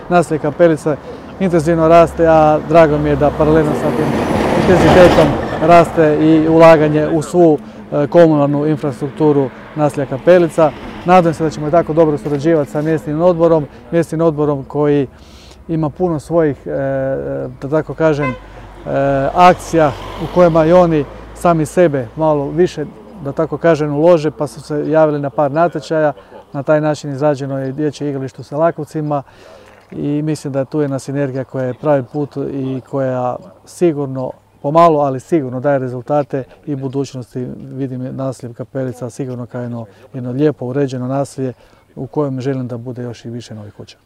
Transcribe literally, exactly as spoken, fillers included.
naselje Kapelica intenzivno raste, a drago mi je da paralelno sa tim intenzitetom raste i ulaganje u svu komunalnu infrastrukturu naselja Kapelica. Nadam se da ćemo tako dobro surađivati sa mjesnim odborom, mjesnim odborom koji ima puno svojih, da tako kažem, akcija u kojima i oni sami sebe malo više, da tako kažem, ulože, pa su se javili na par natječaja. Na taj način izrađeno je dječje igralište u Selakovcima i mislim da tu je jedna sinergija koja je pravi put i koja sigurno, pomalo, ali sigurno daje rezultate i budućnosti. Vidim naselje Kapelica sigurno kao jedno, jedno lijepo uređeno naselje u kojem želim da bude još i više novih kuća.